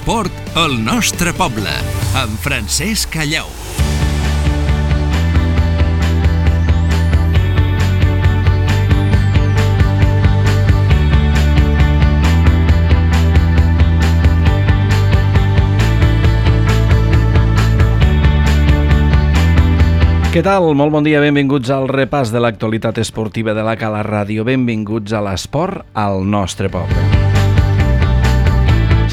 l'esport al nostre poble, amb Francesc Callau. Què tal? Molt bon dia, benvinguts al repàs de l'actualitat esportiva de la Cala Ràdio. Benvinguts a l'esport al nostre poble.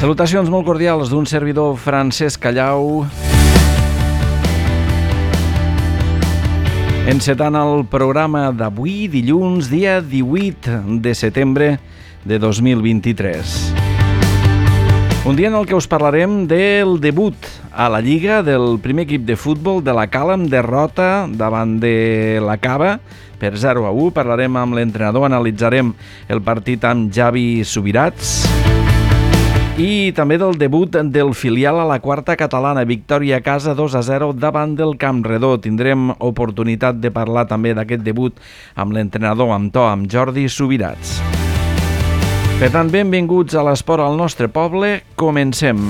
Salutacions molt cordials d'un servidor, Francesc Callau. Encetant el programa d'avui, dilluns, dia 18 de setembre de 2023. Un dia en el que us parlarem del debut a la Lliga del primer equip de futbol de la Cala amb derrota davant de la Cava per 0-1. Parlarem amb l'entrenador, analitzarem el partit amb Javi Subirats i també del debut del filial a la quarta catalana, victòria a casa 2-0 davant del Campredó. Tindrem oportunitat de parlar també d'aquest debut amb l'entrenador, amb Jordi Subirats. Per tant, benvinguts a l'esport al nostre poble. Comencem.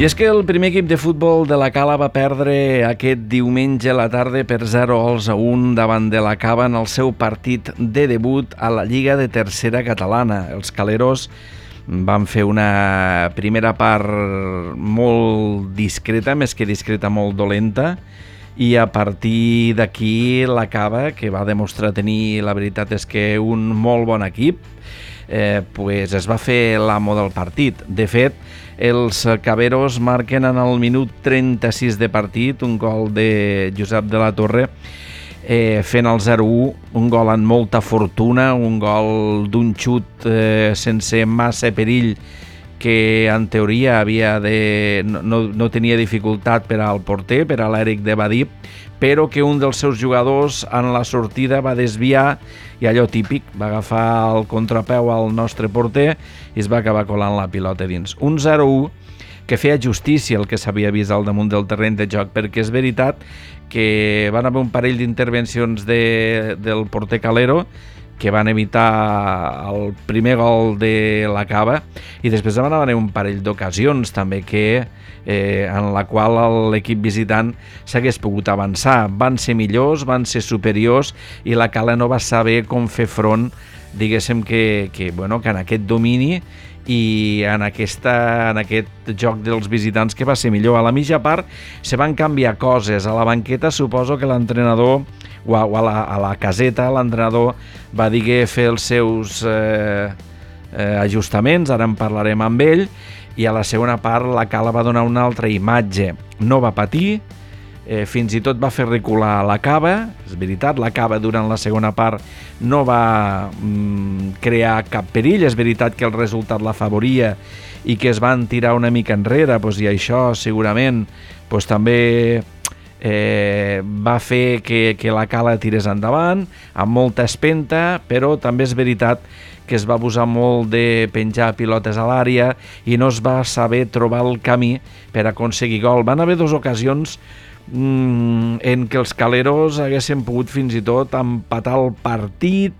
I és que el primer equip de futbol de la Cala va perdre aquest diumenge a la tarda per 0-1 davant de la Cava en el seu partit de debut a la Lliga de Tercera Catalana. Els caleros van fer una primera part molt discreta, més que discreta, molt dolenta, i a partir d'aquí la Cava, que va demostrar tenir, la veritat és que un molt bon equip, pues es va fer l'amo del partit. De fet, els caveros marquen en el minut 36 de partit un gol de Josep de la Torre, fent el 0-1, un gol amb molta fortuna, un gol d'un xut sense massa perill, que en teoria no tenia dificultat per al porter, per a l'Eric de Badí, però que un dels seus jugadors en la sortida va desviar i allò típic, va agafar el contrapeu al nostre porter i es va acabar colant la pilota dins. Un 0-1 que feia justícia el que s'havia vist al damunt del terreny de joc, perquè és veritat que van haver un parell d'intervencions del porter Calero que van evitar el primer gol de la Cava, i després van haver un parell d'ocasions també en la qual l'equip visitant s'hagués pogut avançar. Van ser millors, van ser superiors, i la Cala no va saber com fer front, diguéssim que en aquest domini i en aquest joc dels visitants, que va ser millor. A la mitja part se van canviar coses. A la banqueta suposo que l'entrenador, o a la caseta, l'entrenador va dir fer els seus ajustaments, ara en parlarem amb ell, i a la segona part la Cala va donar una altra imatge. No va patir, fins i tot va fer recular la Cava. És veritat, la Cava durant la segona part no va crear cap perill. És veritat que el resultat l'afavoria i que es van tirar una mica enrere, i això segurament també va fer que la Cala tirés endavant amb molta espenta, però també és veritat que es va abusar molt de penjar pilotes a l'àrea i no es va saber trobar el camí per aconseguir gol. Van haver dues ocasions en què els caleros haguessin pogut fins i tot empatar el partit.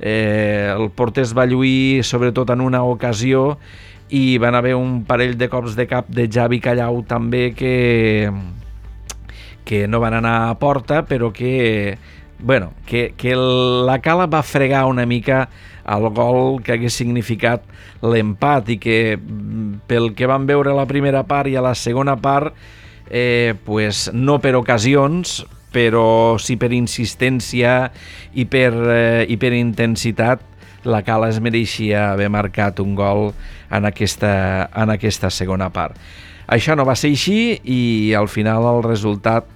El porter es va lluir sobretot en una ocasió, i van haver un parell de cops de cap de Javi Callau també que no van anar a porta, però que la Cala va fregar una mica el gol que hagués significat l'empat, i que pel que vam veure a la primera part i a la segona part, no per ocasions, però sí per insistència i per intensitat, la Cala es mereixia haver marcat un gol en aquesta segona part. Això no va ser així, i al final el resultat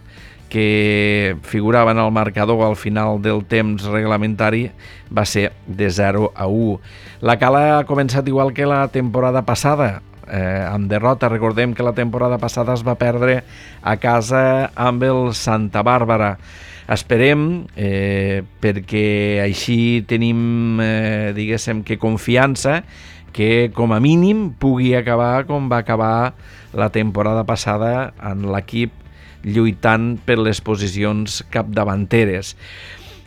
que figurava en el marcador al final del temps reglamentari va ser de 0-1. La Cala ha començat igual que la temporada passada, amb derrota. Recordem que la temporada passada es va perdre a casa amb el Santa Bàrbara. Esperem, perquè així tenim, diguéssim, que confiança que com a mínim pugui acabar com va acabar la temporada passada en l'equip lluitant per les posicions capdavanteres.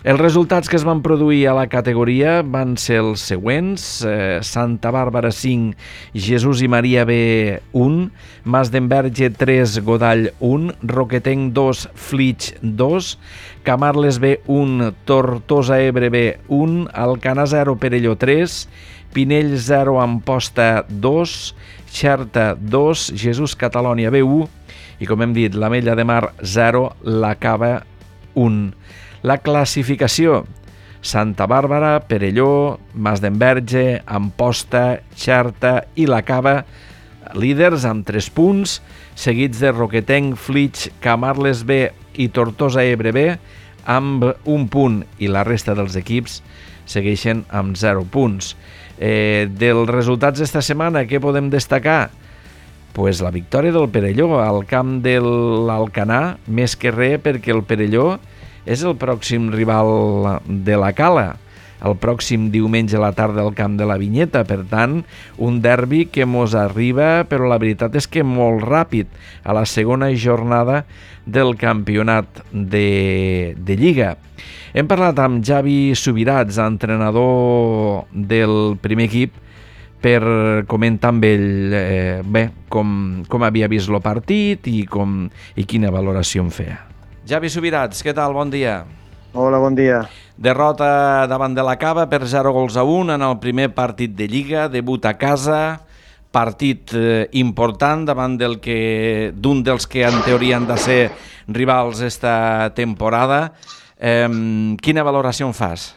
Els resultats que es van produir a la categoria van ser els següents: Santa Bàrbara 5, Jesús i Maria B 1, Mas d'Enverge 3, Godall 1, Roquetenc 2, Flix 2, Camarles B 1, Tortosa Ebre B 1, Alcanar 0, Perelló 3, Pinell 0, Amposta 2, Xerta 2, Jesús Catalònia B 1 i, com hem dit, l'Ametlla de Mar 0, la Cava 1. La classificació: Santa Bàrbara, Perelló, Mas d'Enverge, Amposta, Xerta i la Cava, líders amb 3 punts, seguits de Roquetenc, Flix, Camarles B i Tortosa Ebre B amb 1 punt, i la resta dels equips segueixen amb 0 punts. Dels resultats d'esta setmana, què podem destacar? Pues la victòria del Perelló al camp de l'Alcanar, més que res perquè el Perelló és el pròxim rival de la Cala, el pròxim diumenge a la tarda al camp de la Vinyeta. Per tant, un derbi que mos arriba, però la veritat és que molt ràpid, a la segona jornada del campionat de Lliga. Hem parlat amb Javi Subirats, entrenador del primer equip, per comentar amb ell com havia vist el partit i quina valoració en feia. Javi Subirats, què tal? Bon dia. Hola, bon dia. Derrota davant de la Cava per 0-1 en el primer partit de Lliga, debut a casa, partit important davant d'un dels que en teoria han de ser rivals esta temporada. Quina valoració en fas?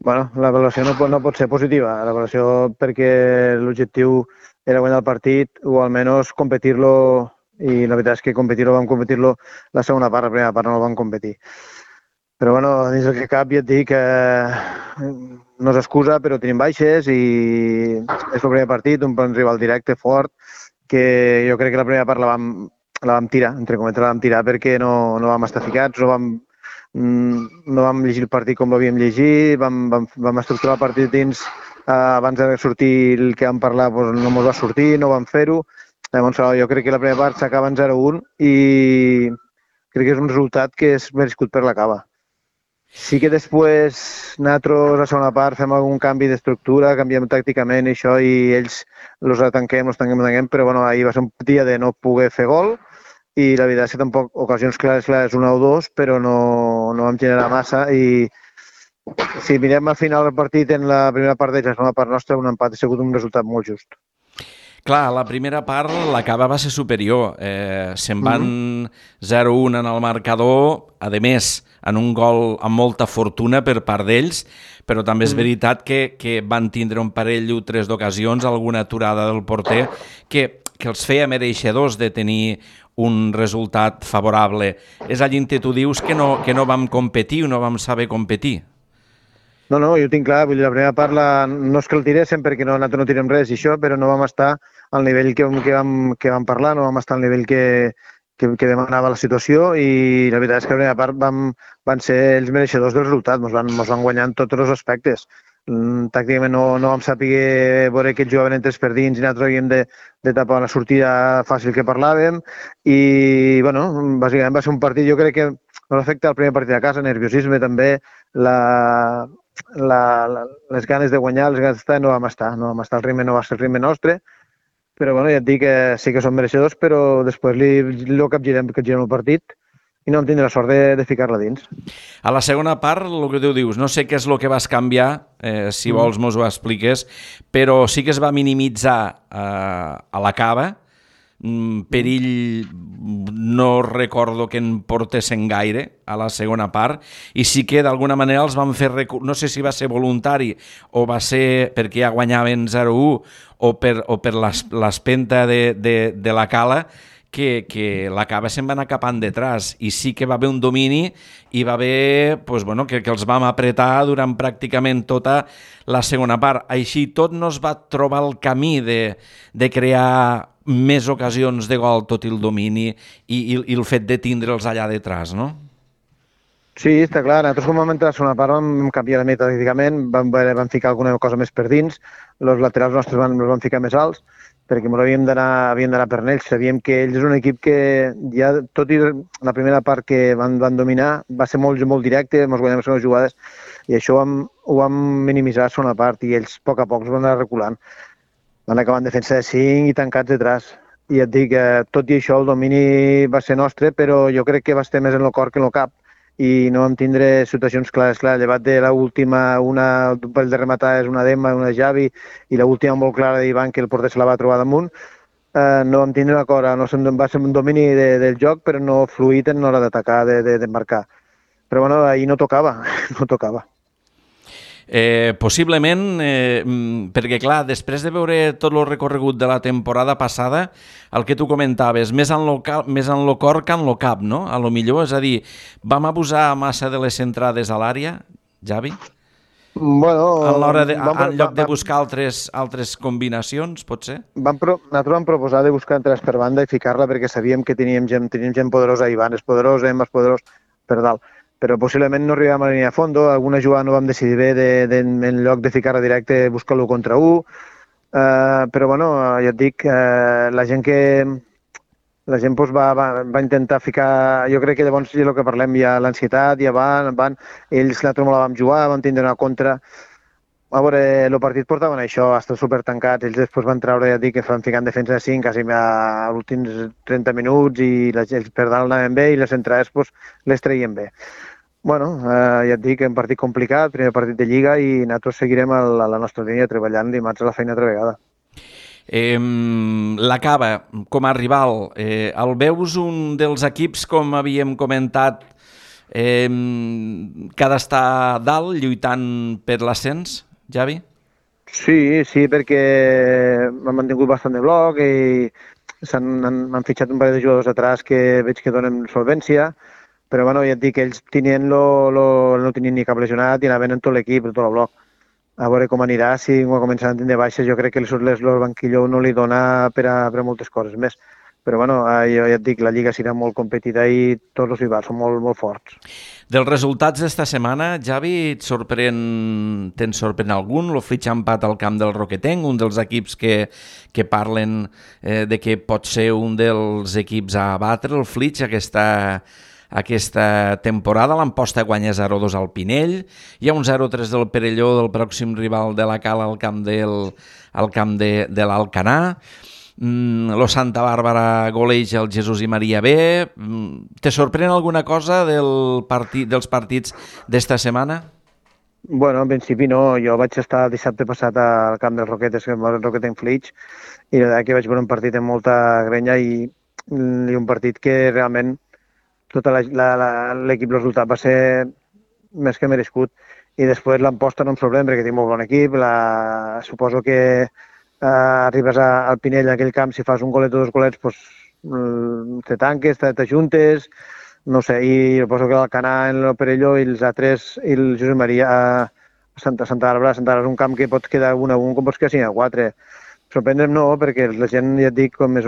Bueno, la valoració no pot ser positiva. La valoració perquè l'objectiu era guanyar el partit o almenys competir-lo, i la veritat és que vam competir-lo la segona part, la primera part no el vam competir. Però bueno, dins del que cap ja et dic que no és excusa, però tenim baixes i és el primer partit, un rival directe, fort, que jo crec que la primera part la vam tirar, entre cometes la vam tirar perquè no vam estar ficats, no vam llegir el partit com l'havíem llegit, vam estructurar el partit dins, abans de sortir el que vam parlar no ens va sortir, no vam fer-ho. Llavors, jo crec que la primera part s'acaba en 0-1 i crec que és un resultat que és merescut per la Cava. Sí que després nosaltres a la segona part fem algun canvi d'estructura, canviem tàcticament i això, i ells els tanquem, però bueno, ahir va ser un dia de no poder fer gol i la veritat és que tampoc ocasions clares, 1 o 2, però no vam generar massa, i si mirem al final del partit en la primera part d'ells, la segona part nostra, un empat ha sigut un resultat molt just. Clar, la primera part la Cava va ser superior. Se'n van 0-1 en el marcador, a més, en un gol amb molta fortuna per part d'ells, però també és veritat que van tindre un parell o 3 d'ocasions, alguna aturada del porter, que els feia mereixedors de tenir un resultat favorable. És allí on tu dius que no vam competir o no vam saber competir. No, jo ho tinc clar, vull dir, la primera part no és que el tiréssim perquè nosaltres no tirem res i això, però no vam estar al nivell que vam parlar, no vam estar al nivell que demanava la situació, i la veritat és que la primera part van ser els mereixedors del resultat, ens van guanyar en tots els aspectes. Tàcticament no vam saber veure que ells jugaven entres per dins i nosaltres havíem de tapar la sortida fàcil que parlàvem, i bueno, bàsicament va ser un partit, jo crec que ens afecta el primer partit a casa, nerviosisme també, les ganes de guanyar, les ganes d'estar, no vam estar, el ritme no va ser el ritme nostre, però bueno, ja et dic que sí que són mereixedors, però després li capgirem el partit i no vam tindre la sort de ficar-la dins. A la segona part, el que tu dius, no sé què és el que vas canviar, si vols mos ho expliques, però sí que es va minimitzar a la Cava, perill no recordo que en portessin gaire a la segona part, i sí que d'alguna manera els van fer, no sé si va ser voluntari o va ser perquè ja guanyaven 0-1 o per l'espenta de la Cala, que la Cava se'n va anar cap endetràs i sí que va haver un domini i va haver que els vam apretar durant pràcticament tota la segona part. Així tot no es va trobar el camí de crear més ocasions de gol, tot i el domini i el fet de tindre'ls allà detrás, no? Sí, està clar. Nosaltres com vam entrar a la segona part vam canviar metodològicament, vam ficar alguna cosa més per dins, els laterals nostres els van ficar més alts, perquè ens havíem d'anar per ells. Sabíem que ells és un equip que ja, tot i la primera part que van dominar, va ser molt directe, ens guanyàvem les jugades, i això ho vam minimitzar a la segona part, i ells a poc es van anar reculant. Van acabar en defensa de 5 i tancats detrás. I et dic, tot i això, el domini va ser nostre, però jo crec que va estar més en el cor que en el cap, i no vam tindre situacions clares. Clar, llevat de l'última, una de rematar és una d'Emma, una de Javi, i l'última molt clara d'Ivan, que el porter se la va trobar damunt, no vam tindre una cosa. No va ser un domini del joc, però no fluït en l'hora d'atacar, de marcar. Però bueno, ahir no tocava, no tocava. Possiblement, perquè clar, després de veure tot el recorregut de la temporada passada, el que tu comentaves, més en lo cor que en lo cap, no? A lo millor, és a dir, vam abusar massa de les centrades a l'àrea, Javi? Bueno, en lloc de buscar altres combinacions, potser? Nosaltres vam proposar de buscar entrades per banda i ficar-la perquè sabíem que teníem gent poderosa, Ivan és poderós, Emma és poderós, per dalt. Però possiblement no arribàvem a la línia de fondo, alguna jugada no vam decidir bé en lloc de ficar-la directe, buscar-lo contra 1, però bueno, ja et dic, la gent va intentar ficar, jo crec que llavors és el que parlem, ja l'ansietat, ja van, ells nosaltres no la vam jugar, vam tindre una contra. A veure, el partit portaven això, estan supertancats, ells després van treure, ja et dic, que van ficar en defensa de 5 quasi als últims 30 minuts i ells per dalt anaven bé i les entrades les treien bé. Bueno, ja et dic, un partit complicat, primer partit de Lliga, i nosaltres seguirem a la nostra línia treballant dimarts a la feina altra vegada. La Cava, com a rival, el veus un dels equips, com havíem comentat, que ha d'estar dalt, lluitant per l'ascens, Javi? Sí, perquè m'han mantingut bastant de bloc i m'han fitxat un parell de jugadors atrás que veig que donen solvència, però bueno, ja et dic que ells no tenien ni cap lesionat i anaven en tot l'equip, en tot el bloc. A veure com anirà, si començaran a tindre baixes, jo crec que el banquillo no li dona per a moltes coses més. Però bueno, jo ja et dic, la Lliga serà molt competida i tots els rivals són molt, molt forts. Dels resultats d'esta setmana, Javi, te'n sorprèn algun? El Flix ha empat al camp del Roquetenc, un dels equips que parlen de que pot ser un dels equips a batre, el Flix, aquesta temporada. L'Amposta guanya 0-2 al Pinell, hi ha un 0-3 del Perelló, del pròxim rival de la Cala al camp de l'Alcanar. Lo Santa Bàrbara goleja el Jesús i Maria B. Te sorprèn alguna cosa dels partits d'esta setmana? Bueno, en principi no. Jo vaig estar dissabte passat al camp dels Roquetes, el Roquetenc Flix, i la veritat que vaig veure un partit amb molta grenya i un partit que realment tot l'equip, el resultat va ser més que merescut. I després l'Amposta no em sorprèn perquè té molt bon equip. Suposo que arribes al Pinell, en aquell camp, si fas un golet o dos golets, te tanques, t'ajuntes, no sé, i suposo que l'Alcanar, el Perelló i els altres, i el Josep Maria a Santa Bàrbara és un camp que pots quedar 1-1 com pots quedar 5-4. Sorprendre'm no, perquè la gent, ja et dic, els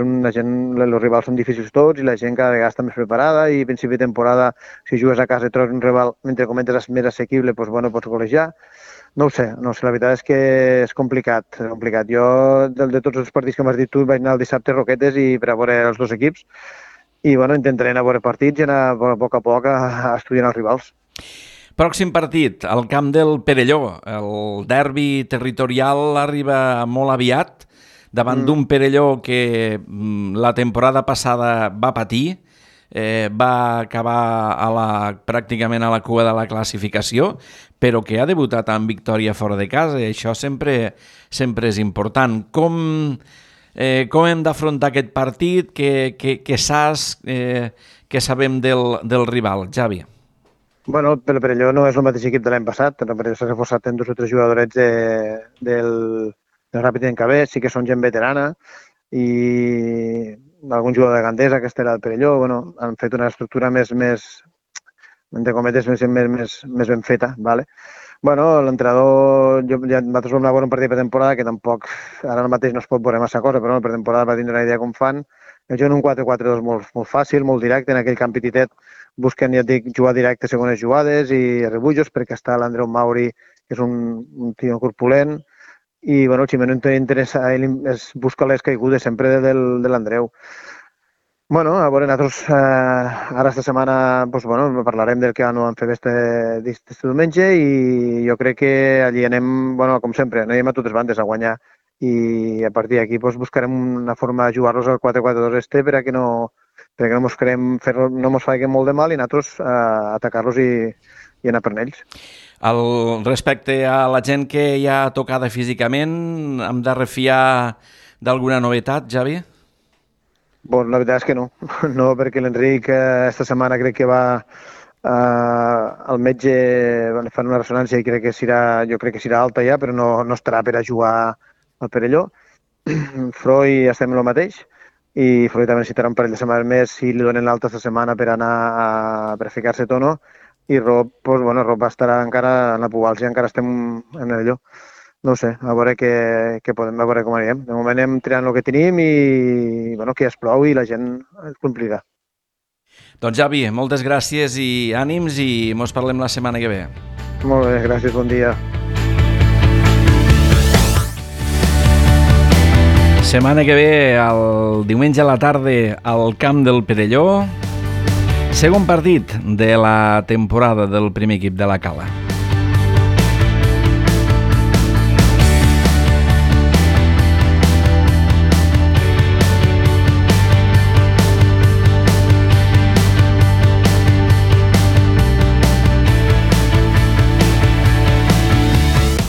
rivals són difícils tots i la gent cada vegada està més preparada i a principi de temporada, si jugues a casa i trobes un rival, mentre comentes més assequible, pots golejar. No ho sé, la veritat és que és complicat. Jo, de tots els partits que m'has dit tu, vaig anar el dissabte a Roquetes i per a veure els dos equips i bueno, intentaré anar a veure partits i anar a poc a estudiar els rivals. Pròxim partit, al camp del Perelló. El derbi territorial arriba molt aviat davant d'un Perelló que la temporada passada va patir, va acabar pràcticament a la cua de la classificació, però que ha debutat amb victòria fora de casa i això sempre és important. Com hem d'afrontar aquest partit? Què saps, què sabem del rival, Javi? Bueno, el Perelló no és el mateix equip de l'any passat. El Perelló s'ha reforçat en 2 o 3 jugadorets del Ràpid en KB, sí que són gent veterana i algun jugador de Gandesa, que era del Perelló, bueno, han fet una estructura més entre cometes, més ben feta, ¿vale? Bueno, l'entrenador, nosaltres vam anar a veure un partit de pretemporada que tampoc, ara mateix no es pot veure massa cosa, però la pretemporada va tindre una idea com fan. Juguen un 4-4-2 molt fàcil, molt directe, en aquell camp petitet busquen, ja et dic, jugar directe segones jugades i rebutjos, perquè està l'Andreu Mauri, que és un tio corpulent, i bueno, el Ximeno interessa, ell busca les caigudes sempre de l'Andreu. Bueno, a veure, nosaltres ara esta setmana parlarem del que no han fet este diumenge i jo crec que allí anem, com sempre, anem a totes bandes a guanyar i a partir d'aquí buscarem una forma de jugar-los al 4-4-2 perquè no mos faci molt de mal i nosaltres atacar-los i anar per ells. Respecte a la gent que ja ha tocada físicament, hem de refiar d'alguna novetat, Javi? La veritat és que no. No, perquè l'Enric esta setmana crec que va al metge, fan una ressonància i jo crec que serà alta ja, però no estarà per a jugar al Perelló. Freud estem en el mateix i Freud també necessitarà un parell de setmanes més si li donen l'alta esta setmana per anar per ficar-se tono i Rob va estar encara en la Pugals i encara estem en allò. No ho sé, a veure què podem, a veure com anirem. De moment anem tirant el que tenim i que es plou i la gent el complirà. Doncs Javi, moltes gràcies i ànims i mos parlem la setmana que ve. Molt bé, gràcies, bon dia. Setmana que ve, el diumenge a la tarda, al camp del Perelló, segon partit de la temporada del primer equip de la Cala.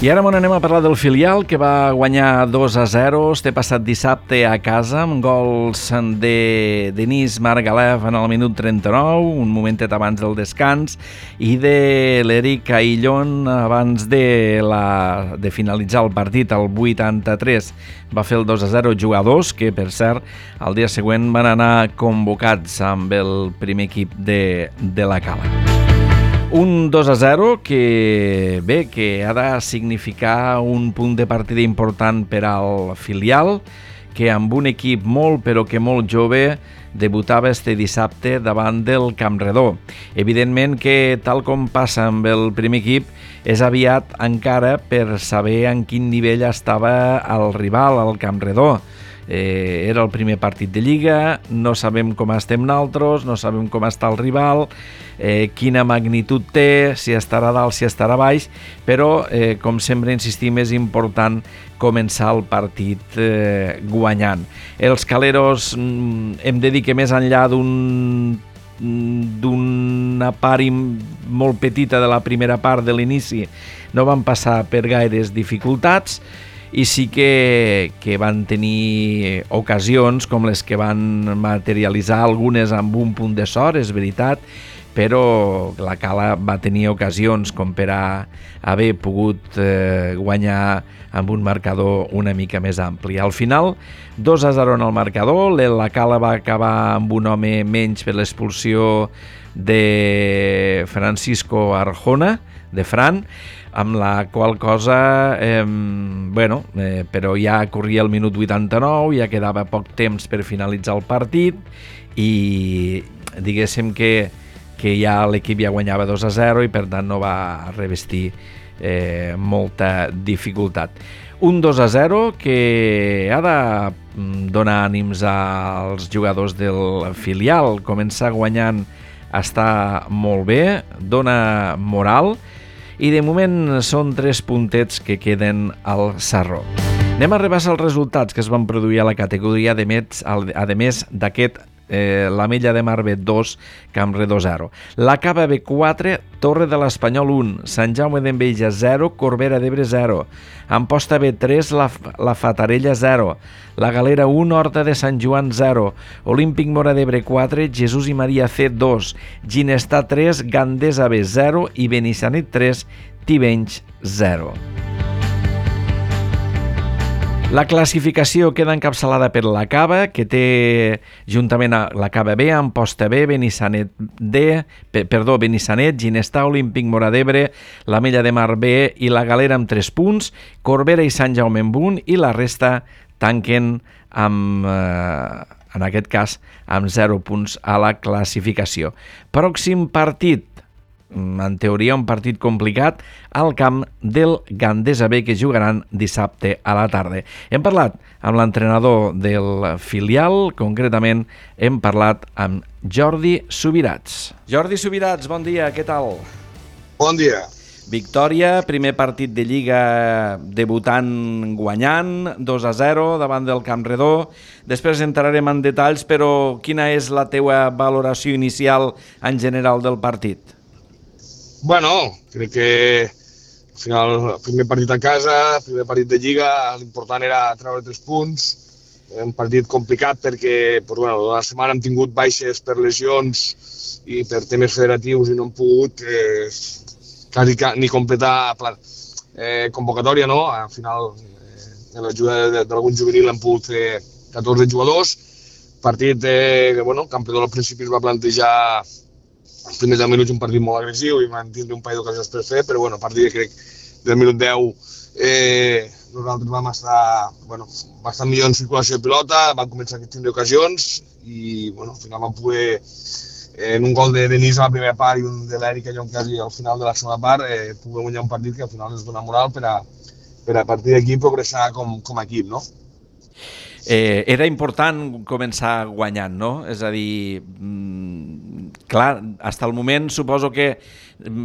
I ara anem a parlar del filial, que va guanyar 2-0 este passat dissabte a casa, amb gols de Denis Margalef en el minut 39, un momentet abans del descans, i de l'Eric Aillon abans de finalitzar el partit, al 83. Va fer el 2-0 jugadors, que per cert, el dia següent van anar convocats amb el primer equip de la Cala. Un 2-0 que ha de significar un punt de partida important per al filial, que amb un equip molt jove debutava este dissabte davant del Campredó. Evidentment que, tal com passa amb el primer equip, és aviat encara per saber en quin nivell estava el rival, el Campredó. Era el primer partit de Lliga, no sabem com estem nosaltres, no sabem com està el rival, quina magnitud té, si estarà dalt, si estarà baix, però, com sempre insistim, és important començar el partit guanyant. Els caleros, hem de dir que més enllà d'una part molt petita de la primera part de l'inici, no van passar per gaires dificultats, i sí que van tenir ocasions com les que van materialitzar algunes amb un punt de sort, és veritat, però la Cala va tenir ocasions com per a haver pogut guanyar amb un marcador una mica més ampli. Al final, 2-0 en el marcador, la Cala va acabar amb un home menys per l'expulsió de Francisco Arjona, de Fran, amb la qual cosa, però ja corria el minut 89, ja quedava poc temps per finalitzar el partit i diguéssim que ja l'equip ja guanyava 2-0 i per tant no va revestir molta dificultat. Un 2-0 que ha de donar ànims als jugadors del filial. Començar guanyant està molt bé, dona moral, i de moment són 3 puntets que queden al sarró. Anem a repassar els resultats que es van produir a la categoria, a més d'aquest l'Ametlla de Mar B 2, Campredó 0. La Cava B 4, Torre de l'Espanyol 1, Sant Jaume d'Enveja 0, Corbera d'Ebre 0, Amposta B 3, la Fatarella 0, la Galera 1, Horta de Sant Joan 0, Olímpic Móra d'Ebre 4, Jesús i Maria C 2, Ginestar 3, Gandesa B 0 i Benissanet 3, Tivenys 0. La classificació queda encapçalada per la Cava, que té juntament a la Cava B, Amposta B, Benissanet, Ginestar, Olímpic Móra d'Ebre, l'Ametlla de Mar B i la Galera amb 3 punts, Corbera i Sant Jaume amb 1 i la resta tanquen amb, en aquest cas, amb 0 punts a la classificació. Pròxim partit, en teoria un partit complicat, al camp del Gandesa B, que jugaran dissabte a la tarda. Hem parlat amb l'entrenador del filial, concretament hem parlat amb Jordi Subirats. Jordi Subirats, bon dia, què tal? Bon dia. Victòria, primer partit de Lliga debutant guanyant, 2-0 davant del Campredó. Després entrarem en detalls, però quina és la teua valoració inicial en general del partit? Bueno, crec que al final el primer partit a casa, primer partit de Lliga, l'important era treure 3 punts. Un partit complicat perquè la setmana hem tingut baixes per lesions i per temes federatius i no hem pogut quasi ni completar convocatòria, no? Al final, amb l'ajuda d'algun juvenil hem pogut fer 14 jugadors. Partit que, Campredó al principi es va plantejar els primers 10 minuts un partit molt agressiu i van tindre un parell d'ocasions per fer, però a partir de, crec, del minut 10 nosaltres vam estar bastant millor en circulació de pilota, vam començar a tindre ocasions i al final vam poder, en un gol de Denis a la primera part i un de l'Eric allò quasi al final de la segona part, poder guanyar un partit que al final ens dona moral per a partir d'aquí progressar com a equip, no? Era important començar guanyant, no? És a dir, clar, fins al moment suposo que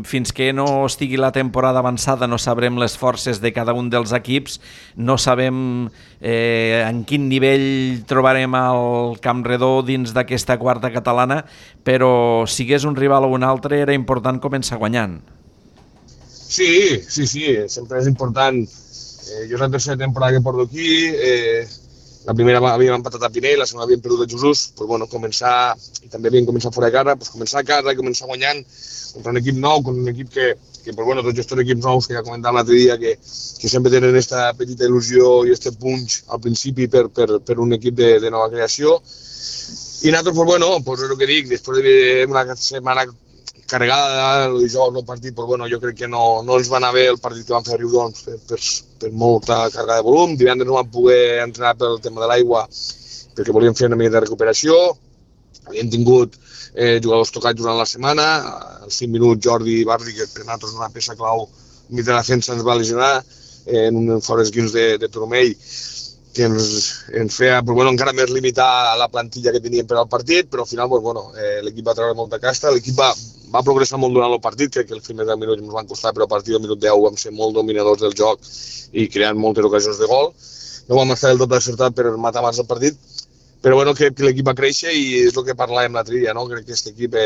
fins que no estigui la temporada avançada no sabrem les forces de cada un dels equips, no sabem en quin nivell trobarem el Campredó dins d'aquesta quarta catalana, però sigués un rival o un altre era important començar guanyant. Sí, sempre és important. Jo és la tercera temporada que porto aquí, la primera havíem empatat a Pinell, la segona havíem perdut a Jesús, començar, i també havíem començat fora de casa, començar a casa, començar guanyant contra un equip nou, contra un equip que tots gestos equips nous que ja comentàvem l'altre dia, que sempre tenen aquesta petita il·lusió i aquest punch al principi per un equip de nova creació. I nosaltres, és el que dic, després d'una setmana carregada de dijous del partit, jo crec que no ens va anar bé el partit que vam fer a Riudoms per molta càrrega de volum. Divendres no vam poder entrenar pel tema de l'aigua perquè volíem fer una mica de recuperació. Havíem tingut jugadors tocats durant la setmana. Als 5 minuts Jordi Barri, que per nosaltres és una peça clau mig de la defensa, ens va lesionar en un fora esquins de turmell que ens feia encara més limitar la plantilla que teníem per al partit, però al final l'equip va treure molta casta, l'equip va progressar molt durant el partit, crec que els primers 10 minuts ens van costar, però a partir del minut 10 vam ser molt dominadors del joc i creant moltes ocasions de gol. No vam estar del tot acertat per matar abans el partit, però crec que l'equip va créixer i és el que parlàvem l'altre dia, no? Crec que aquest equip,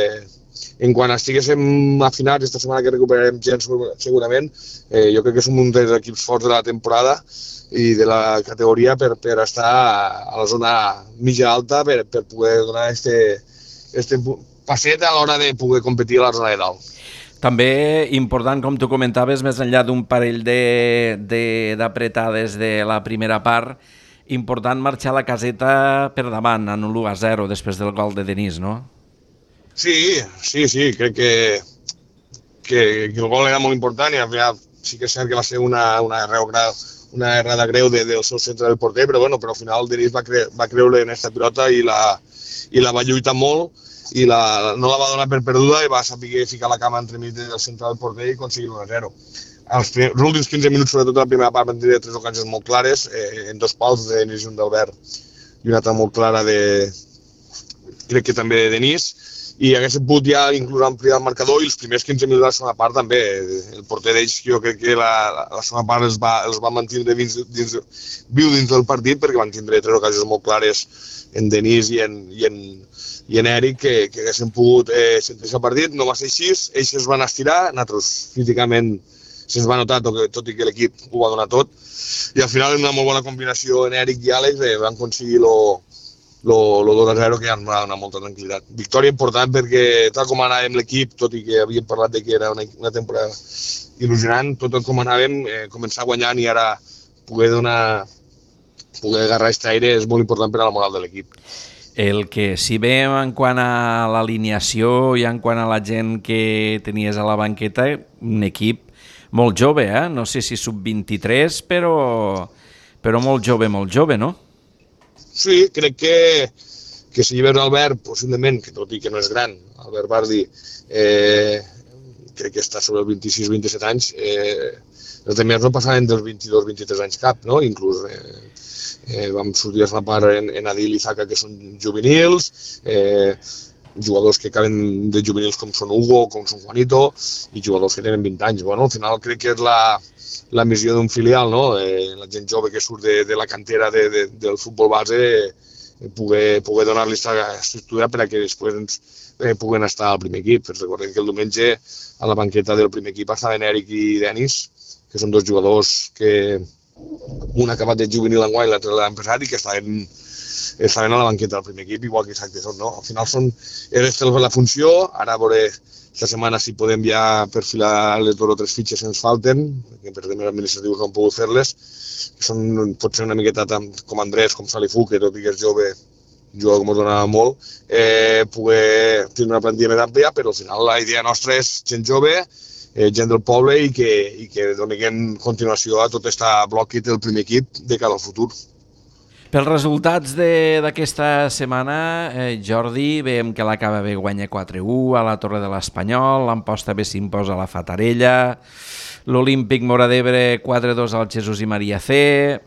en quan estiguéssim afinats, aquesta setmana que recuperarem gens segurament, jo crec que som un dels equips forts de la temporada i de la categoria per estar a la zona mitja-alta per poder donar este passet a l'hora de poder competir a la zona de dalt. També important, com tu comentaves, més enllà d'un parell d'apretades de la primera part, important marxar la caseta per davant en un 1-0 després del gol de Denis, no? Sí, crec que el gol era molt important i al final sí que és cert que va ser una errada greu del seu centre del porter, però al final Denis va creure en aquesta pilota i la va lluitar molt i no la va donar per perduda i va saber ficar la cama entremig del centre del porter i aconseguir 1-0. Els últims 15 minuts, sobretot la primera part, van tenir 3 ocasions molt clares, en 2 pals de Denis i un d'Albert i una altra molt clara crec que també de Denis, i haguéssim pogut ja inclús ampliar el marcador i els primers 15 minuts de la segona part també. El porter d'ells, jo crec que la segona part els va mantindre viu dins del partit perquè van tindre 3 ocasions molt clares en Denis i en Eric que haguessin pogut sentir-se el partit. No va ser així, ells es van estirar, nosaltres físicament se'ns va notar, tot i que l'equip ho va donar tot, i al final una molt bona combinació en Eric i Àlex van aconseguir el 2-0 que ja ens va donar molta tranquil·litat. Victòria important perquè tal com anàvem l'equip, tot i que havíem parlat de que era una temporada il·lusionant, tot com anàvem, començar guanyant i ara poder donar poder agarrar aquest aire és molt important per a la moral de l'equip. El que si bé en quant a l'alineació i en quant a la gent que tenies a la banqueta, un equip molt jove, no sé si sub-23, però molt jove, no? Sí, crec que si veus Albert, possiblement, que tot i que no és gran, Albert Bardi, crec que està sobre els 26-27 anys, els altres no passaven dels 22-23 anys cap, no? Inclús vam sortir a la part en Adil i Zaka, que són juvenils, jugadors que acaben de juvenils com són Hugo, com són Juanito, i jugadors que tenen 20 anys. Bueno, al final crec que és la missió d'un filial, no? La gent jove que surt de la cantera del futbol base, poder donar-li aquesta estructura per a que després puguen estar al primer equip. Recordem que el diumenge a la banqueta del primer equip estaven Eric i Denis, que són dos jugadors que un ha acabat de juvenil enguany i l'altre l'ha empezat i que estaven a la banqueta del primer equip, igual que Isaac Tesson, no? Al final és la funció, ara veuré esta setmana si podem ja perfilar les 2 o 3 fitxes que ens falten, que per temes administratius no hem pogut fer-les, que pot ser una miqueta tant com Andrés, com Salifú, que tot i que és jove, juga com us donava molt, poder tenir una plantilla més àmplia, però al final la idea nostra és gent jove, gent del poble i que donin continuació a tot aquest bloc que té el primer equip de cara al futur. Pels resultats d'aquesta setmana, Jordi, veiem que l'Acaba B guanya 4-1 a la Torre de l'Espanyol, l'Amposta B s'imposa a la Fatarella, l'Olímpic Móra d'Ebre 4-2 al Jesús i Maria C,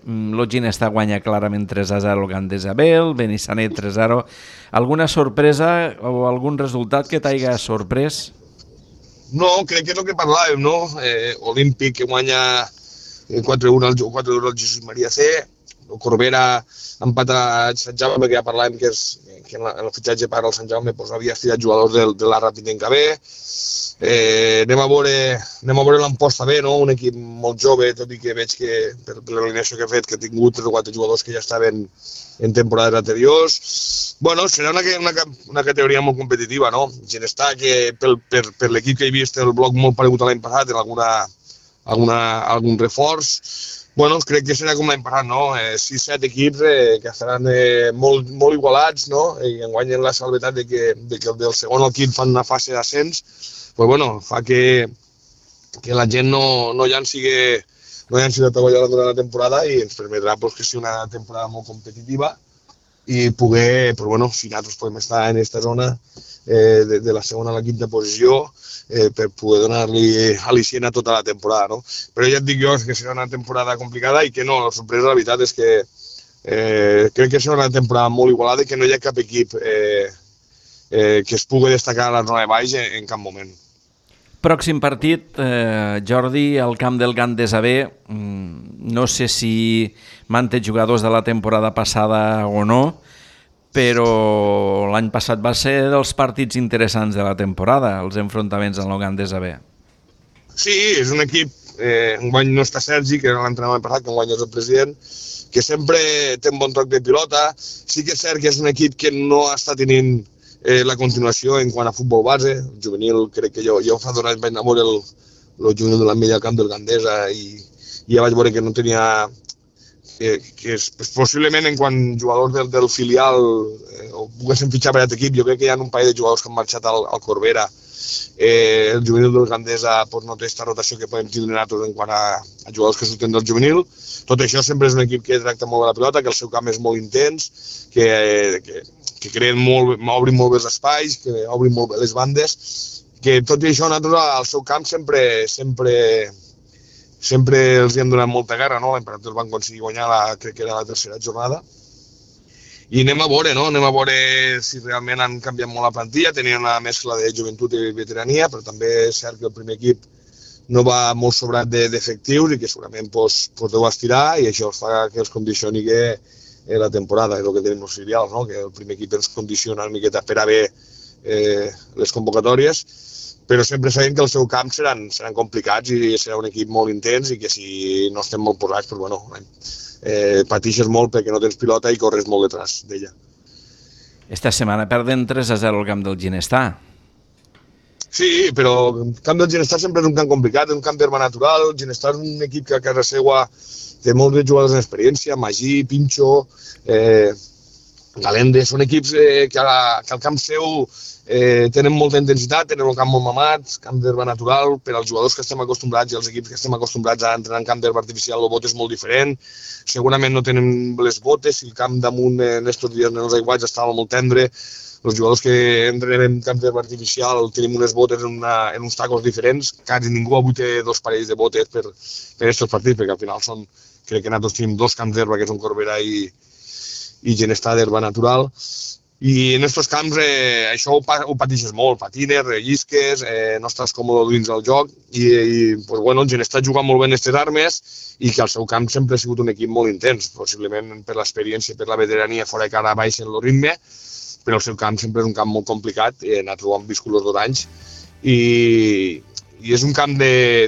l'Ginestà guanya clarament 3-0 al Gandesa B, el Benissanet 3-0. Alguna sorpresa o algun resultat que t'haiga sorprès? No, crec que és el que parlàvem, no? Olímpic que guanya 4-1 al Jesús Maria C, el Corbera empata a Sant Jaume, perquè ja parlàvem que en el fitxatge per al Sant Jaume havia estirat jugadors de la Rapidenca B. Anem a veure l'Amposta B, no? Un equip molt jove, tot i que veig que per l'alineació que he fet que ha tingut 3 o 4 jugadors que ja estaven en temporades anteriors. Bueno, serà una categoria molt competitiva, no? Ginestà, que per l'equip que he vist el bloc molt paregut a l'any passat, en algun reforç. Bueno, crec que serà com l'any passat, no? 6-7 equips que estaran molt igualats, no? I enguany la salvetat de que del segon al quint fan una fase d'ascens, pues bueno, fa que la gent no llanci la tovallola durant la temporada i ens permetrà que sigui una temporada molt competitiva i poder, però bueno, si nosaltres podem estar en aquesta zona de la segona a la quinta posició per poder donar-li al·licient a tota la temporada, no? Però ja et dic jo que serà una temporada complicada i que no, la sorpresa, la veritat, és que crec que serà una temporada molt igualada i que no hi ha cap equip que es pugui destacar a la zona de baix en cap moment. Pròxim partit, Jordi, al camp del Gandesa B. No sé si manté jugadors de la temporada passada o no, però l'any passat va ser dels partits interessants de la temporada, els enfrontaments en el Gandesa B. Sí, és un equip, enguany no està Sergi, que era l'entrenador passat, que enguany és el president, que sempre té un bon toc de pilota. Sí que és cert que és un equip que no està tenint la continuació en quant a futbol base. El juvenil, crec que jo fa 2 anys vaig anar a veure el juvenil de l'Ametlla al camp del Gandesa i ja vaig veure que no tenia... possiblement en quant jugadors del filial ho poguessin fitxar per aquest equip, jo crec que hi ha un parell de jugadors que han marxat al Corbera. El juvenil del Gandesa no té aquesta rotació que podem tindre nosaltres en quant a jugadors que surten del juvenil. Tot això sempre és un equip que tracta molt de la pilota, que el seu camp és molt intens, que creen molt, obrin molt bé els espais, que obrin molt bé les bandes, que tot i això nosaltres al seu camp sempre els hi hem donat molta guerra, no? L'any passat van aconseguir guanyar crec que era la 3ª jornada. I anem a veure si realment han canviat molt la plantilla, tenien una mescla de joventut i veterania, però també és cert que el primer equip no va molt sobrat d'efectius i que segurament deu estirar i això fa que els condicioni la temporada, és el que tenim els filials, no? Que el primer equip ens condiciona una miqueta per a bé les convocatòries, però sempre sabem que el seu camp seran complicats i serà un equip molt intens i que si no estem molt posats, doncs bueno, patixes molt perquè no tens pilota i corres molt detrás d'ella. Esta setmana perden 3-0 al camp del Ginestà. Sí, però el camp del Ginestà sempre és un camp complicat, és un camp d'herba natural. El Ginestà és un equip que a casa seva té molts jugadors d'experiència, Magí, Pinxo, Galende, són equips que al camp seu tenen molta intensitat, tenen el camp molt mamat, camp d'herba natural. Per als jugadors que estem acostumbrats i els equips que estem acostumbrats a entrenar en camp d'herba artificial, el bot és molt diferent. Segurament no tenen les botes, si el camp damunt en aquests dies en els aiguats estava molt tendre. Els jugadors que entrenem en camp d'herba artificial tenim unes botes en uns tacos diferents. Quasi ningú avui té 2 parells de botes per aquests partits, perquè al final crec que nosaltres tenim 2 camps d'herba, que són Corbera i Ginestar d'herba natural. I en aquests camps això ho pateixes molt, patines, rellisques, no estàs còmode dins del joc i pues, bueno, el Ginestar juga molt bé en aquestes armes i que el seu camp sempre ha sigut un equip molt intens, possiblement per l'experiència, per la veterania, fora que ara baixen el ritme, però el seu camp sempre és un camp molt complicat, nosaltres ho hem viscut els 2 anys i és un camp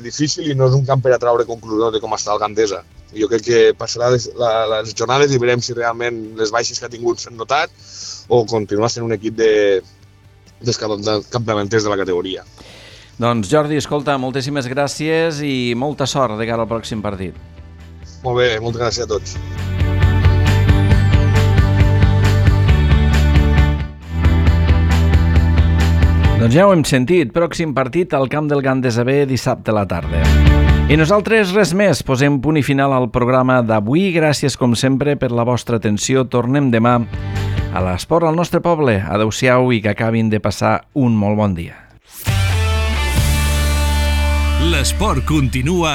difícil i no és un camp per a treure conclusions de com està el Gandesa. Jo crec que passarà les jornades i veurem si realment les baixes que ha tingut s'han notat o continua sent un equip dels capdavanters de la categoria. Doncs Jordi, escolta, moltíssimes gràcies i molta sort de cara al pròxim partit. Molt bé, moltes gràcies a tots. Doncs ja ho hem sentit, pròxim partit al camp del Gandesa B dissabte a la tarda. I nosaltres res més, posem punt i final al programa d'avui. Gràcies com sempre per la vostra atenció. Tornem demà a l'Esport al nostre poble. Adéu-siau i que acabin de passar un molt bon dia. L'esport continua